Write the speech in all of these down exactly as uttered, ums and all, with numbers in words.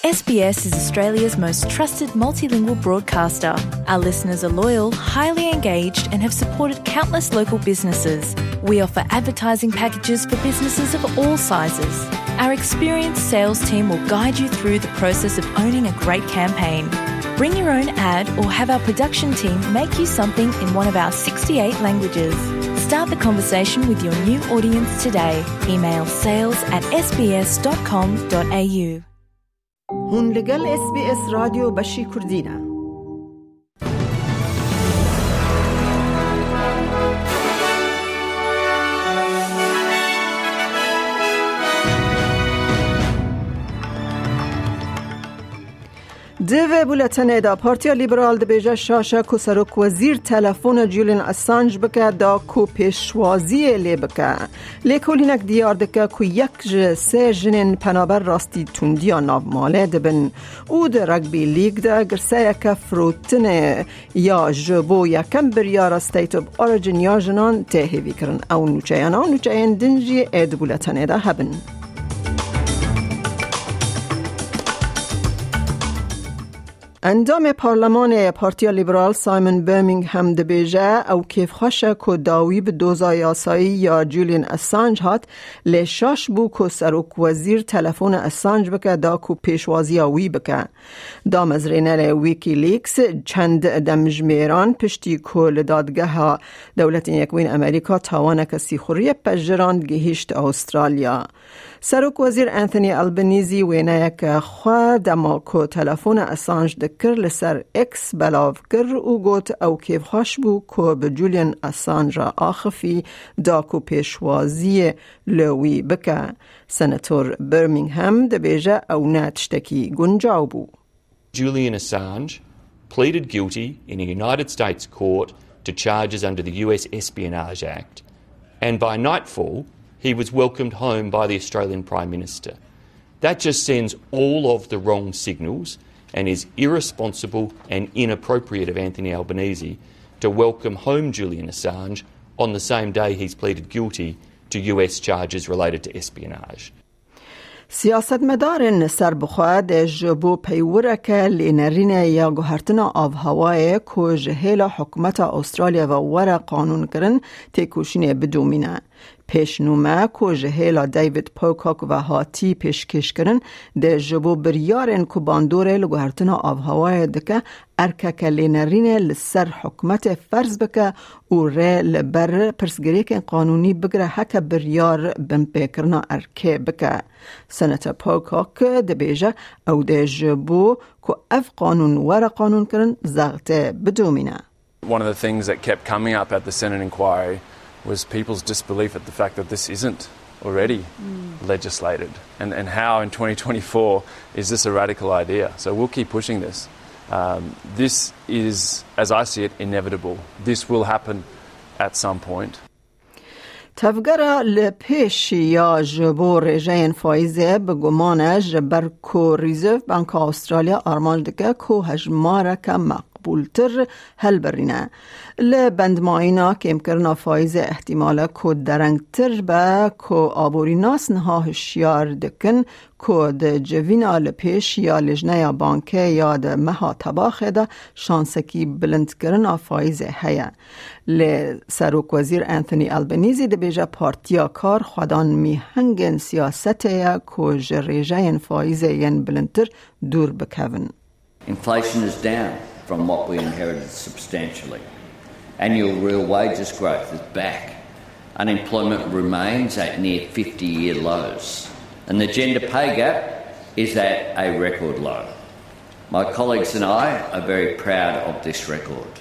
S B S is Australia's most trusted multilingual broadcaster. Our listeners are loyal, highly engaged, and have supported countless local businesses. We offer advertising packages for businesses of all sizes. Our experienced sales team will guide you through the process of owning a great campaign. Bring your own ad or have our production team make you something in one of our sixty-eight languages. Start the conversation with your new audience today. Email sales at S B S dot com dot A U. Hûn li gel S B S Radyo Beşî Kurdî ne. Di vê buletenê de Partiya Liberal dibêje şaş e ku serokwezîr telefona Julian Assange bike da ku pêşwaziyê lê bike. Lêkolînek diyar dike ku yek ji sê jinên penaber rastî tundiya navmalê dibin û di Rugby League de girseyeke firotinê ya ji bo yekem biryara State of Origin ya jinan tê hêvîkirin. Ew nûçeyana û nûçeyên din jî ê di buletenê de hebin. Endamê Parlemanê ya Partiya Liberal Simon Birmingham dibêje, ew kêfxweş e ku dawî bi doza yasayî ya Julian Assange hat, lê şaş bû ku serokwezîr telefona Assange bike da ku pêşwaziya wî bike. Damezrênerê Wikileaks çend demjimêran piştî ku li dadgeha Dewletên Yekbûyîn Amerîka tawaneke sîxuriyê pejirand, gihîşt Astralya. Serokwezîr Anthony Albanese wêneyeke xwe dema ku telefona Assange dikir li ser X belav kir û got, ew kêfxweş bû ku bi Julian Assange re axifî da ku pêşwaziyê li wî bike. Senator Birmingham dibêje ew ne tiştekî guncaw bû. Julian Assange pleaded guilty in a United States court to charges under the U S Espionage Act, and by nightfall, he was welcomed home by the Australian Prime Minister. That just sends all of the wrong signals and is irresponsible and inappropriate of Anthony Albanese to welcome home Julian Assange on the same day he's pleaded guilty to U S charges related to espionage. Siyasetmedarên serbixwe dê ji bo peywireke lênerîne ya guhertina avhewayê ku ji hêla hikûmeta Astralya ve were qanûnkirin, têkoşînê bidomîne. Pêşnûme ku ji hêla David Pocock ve hatî pêşkêşkirin, dê ji bo biryarên ku bandorê li guhertina avhewayê dike, erkeke lênerînê li ser hikûmetê ferz bike û rê li ber pirsgirêkên qanûnî bigire heke biryar binpêkirina erkê bike. Senator Pocock dibêje, ew dê ji bo ku ev qanûn were qanûnkirin, zextê bidomîne. One of the things that kept coming up at the Senate inquiry was people's disbelief at the fact that this isn't already legislated, and, and how in twenty twenty-four is this a radical idea? So we'll keep pushing this. Um, this is, as I see it, inevitable. This will happen at some point. Tevgera li pêş ya ji bo rêjeyên faîzê bi guman e, ji ber ku Reserve Banka Astralya armanc dike ku hejmareke meqbûltir helbirîne. Li bendmayîna kêmkirina faîzê, ihtimal e ku derengtir be ku aborînas niha hişyar dikin ku di civîna li pêş ya Lijneya Bankê ya di meha Tebaxê de şansekî bilindkirina faîzê heye. Lê Serokwezîr Anthony Albanese dibêje, Partiya Kar xwedan mîhengên siyasetê ye ku ji rêjeyên faîzê yên bilindtir dûr bikevin. Inflation is down from what we inherited substantially. Annual real wages growth is back. Unemployment remains at near fifty-year lows. And the gender pay gap is at a record low. My colleagues and I are very proud of this record.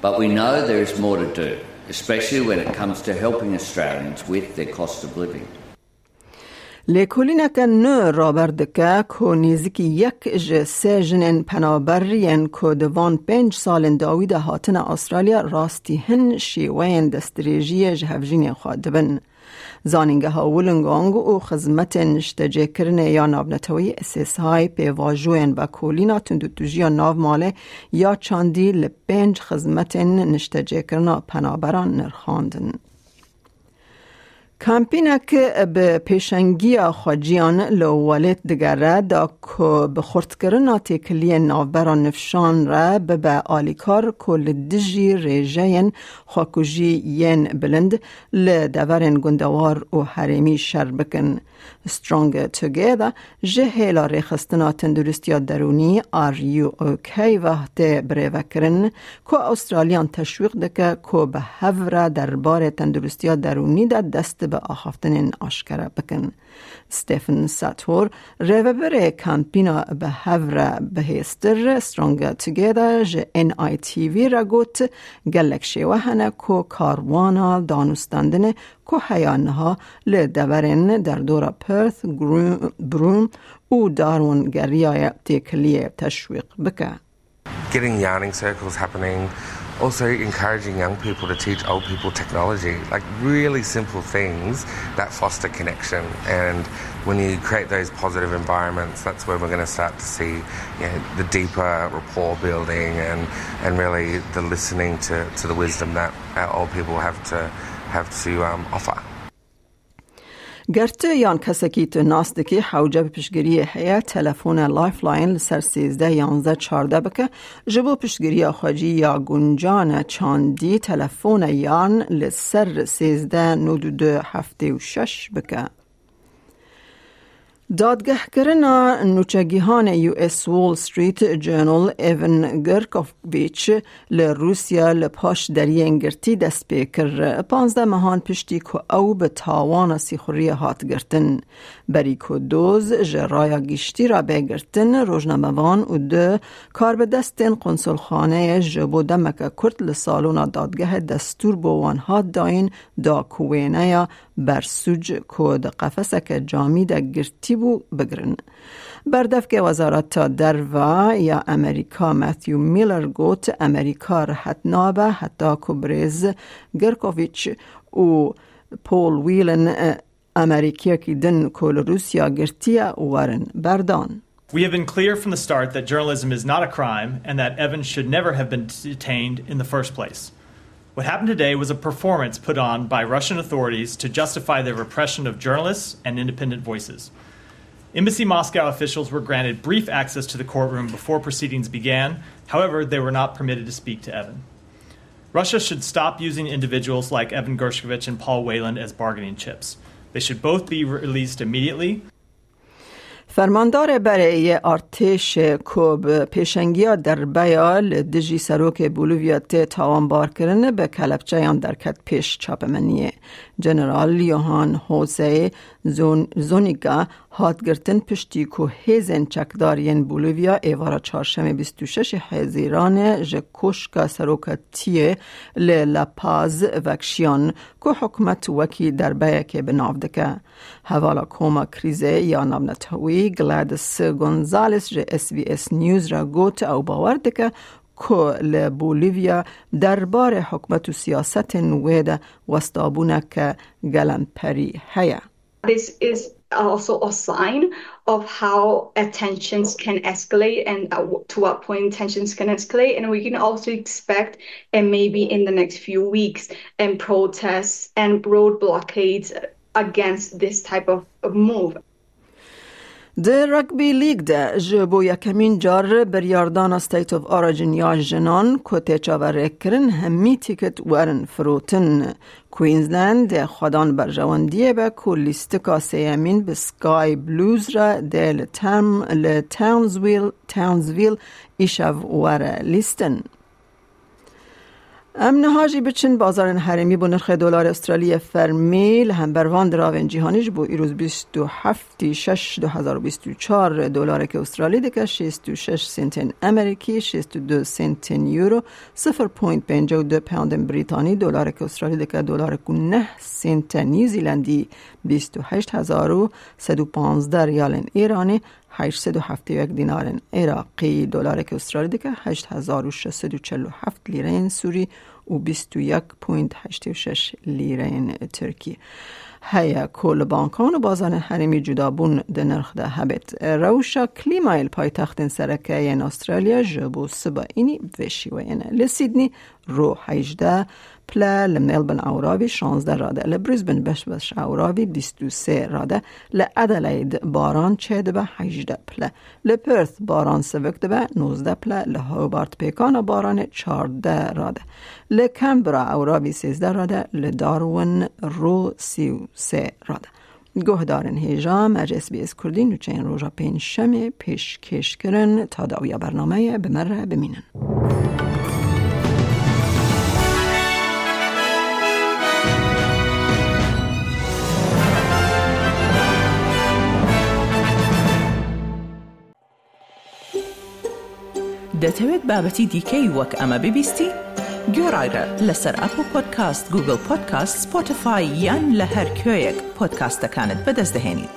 But we know there is more to do, especially when it comes to helping Australians with their cost of living. Lêkolîneke nû raber dike ku nêzîkî yek ji sê jinên penaber yên ku di van pênc salên dawî de hatine Astralya, rastî hin şêweyên destdirêjiyê ji hevjînê xwe dibin. Zanîngeha Wollongong û xizmetên niştecêkirinê ya navneteweyî S S I pêvajoyên vekolîna tundûtûjiya navmalê ya çandî li pênc xizmetên niştecêkirina penaberan nirxandin. Kampînek bi pêşengiya xweciyan li welêt digere da ku bi xurtkirina têkiliyên navbera nifşan re bibe alîkar ku li dijî rêjeyên xwekujî yên bilind li deverên gundewar û herêmî şer bikin. Strong Together ji hêla rêxistina tenduristiya derûnî R U O K ve tê birêvekirin ku Australiyan teşwîq dike ku bi hev re derbarê tenduristiya derûnî de dest bi axaftinên aşkere bikin. Stephen Sator, rêvebirê kampîna bi hev re bihêztir Strong Together ji N I T V re got, gelek şêwe hene ku karwana danûstandinê ku heya niha li deverên derdora Perth, Gru-, Broome û Darwin geriyaye têkiliyê teşwîq bike. Getting yarning circles happening, also encouraging young people to teach old people technology, like, really simple things that foster connection. And when you create those positive environments, that's where we're gonna start to see, you know, the deeper rapport building and, and really the listening to, to the wisdom that our old people have to, have to, um, offer. Ger tu yan kesekî tu nas dikî hewce bi piştgiriyê heye, telefone Lifeline li ser sêzdeh yanzdeh çardeh bike, ji bo piştgiriya xwecî ya guncan e çandî telefone yan li ser sêzdeh nod û du heftê û şeş bike. Dadgehkirina nûçegîhanê U S Wall Street Journal Evan Gerkovich li Rûsya li paş deriyên girtî dest pê kir. Panzdeh mehan piştî ku ew bi tawana sîxuriyê hat girtin. Berî ku doz ji raya giştî re bê girtin, rojnamevan û du karbidestên konsolxaneyê ji bo demeke kurt li salona dadgehê destûr bo wan hat dayîn da ku wêneya bersûc ku di qefeseke camî de girtî bû, bigirin. Berdevkê Wezareta Derve ya Amerîka Matthew Miller got, Amerîka rihet nabe heta ku birêz Gerkovich û Paul Whelan, e, Amerîkiyekî din ku li Rûsya girtiye, werin berdan. We have been clear from the start that journalism is not a crime and that Evan should never have been detained in the first place. What happened today was a performance put on by Russian authorities to justify their repression of journalists and independent voices. Embassy Moscow officials were granted brief access to the courtroom before proceedings began. However, they were not permitted to speak to Evan. Russia should stop using individuals like Evan Gershkovich and Paul Whelan as bargaining chips. They should both be released immediately. Fermandarê berê yê artêşê ku bi pêşengiya derbeya li dijî serokê Bolivya tê tawanbarkirin, bi kelepçeyan derket pêş çapemeniyê. General Johan Jose Zon-, Zoniga hat girtin piştî ku hêzên çekdar yên Bolivya êvara çarşemê bîst û şeş Hezîranê ji koşka serokatiyê li La Paz vekşiyan ku hikûmet wekî derbeyekê bi nav dike. Hevala koma krîzê ya navnetewî Gladys Gonzalez ji S B S News re got, ew bawer dike ku li Bolivya derbarê hikûmet û siyasetên wê de westabûneke gelemperî heye. This is also a sign of how, uh, tensions can escalate and, uh, w-, to what point tensions can escalate. And we can also expect, and maybe in the next few weeks, and protests and road blockades against this type of, of move. Di Rugby League de ji bo yekemîn car biryardana State of Origin ya jinan ku tê çaverêkirin hemî tîkit werin firotin. Queensland dê xwedan berjewendiyê be ku lîstika sêyemîn bi Sky Blues re dê li Tam-, li Townsville, Townsville îşev were lîstin. Em niha jî biçin bazarên herêmî bo nirxê dolarê Australiyê fermî li hember van diravên cîhanî ji bo îroz bîst û heftê şeş du hezar û bîst û çar dolareke Australî dike şêst û şeş sentên Amerîkî, şêst û du sentên Euro, sifir point pêncî û du poundên Brîtanî, dolareke Australî dike dolarek û neh sente New Zealandî, bîst û heşt hezar û sed û panzdeh riyalên Îranî, heşt sed û heftê û yek dînarên Iraqî, dolareke Australî dike heşt hezar û şeş sed û çel û heft lîreyên Sûrî û bîst û yek point heştê û şeş lîreyên Tirkî. Heye ku li bankan û bazarên herêmî cudabûn di nirx de hebêt. Rewşa klîmayê li paytextên sereke yên Australya ji bo siba înî bi vê şîweyê ne. Li Sydney ro hejdeh, pile, li Melbourne ewravî şazdeh rade, li Brisbane beş beş ewravî bîst û sê rade, li Adelaide baran çêdibe hejdeh pile, li Perth baran sivik dibe nozdeh pile, li Hobart pêkana baranê çardeh rade, li Canberra ewravî sêzdeh rade, li Darwin rû sî û sê rade. Guhdarên hêja me ji S B S Kurdî nûçeyên roja pêncşemê pêşkêş kirin. Ta dawiya bernameyê bi me re bimînin. دەتەوێت بابەتی دیکەی وەک ئەمە ببیستی؟ گوێڕایرە لەسەر ئەپڵ پۆدکاست، گوگڵ پۆدکاست، سپۆتیفای یان لە هەر کوێیەک پۆدکاستەکانت بەدەست دەهێنیت.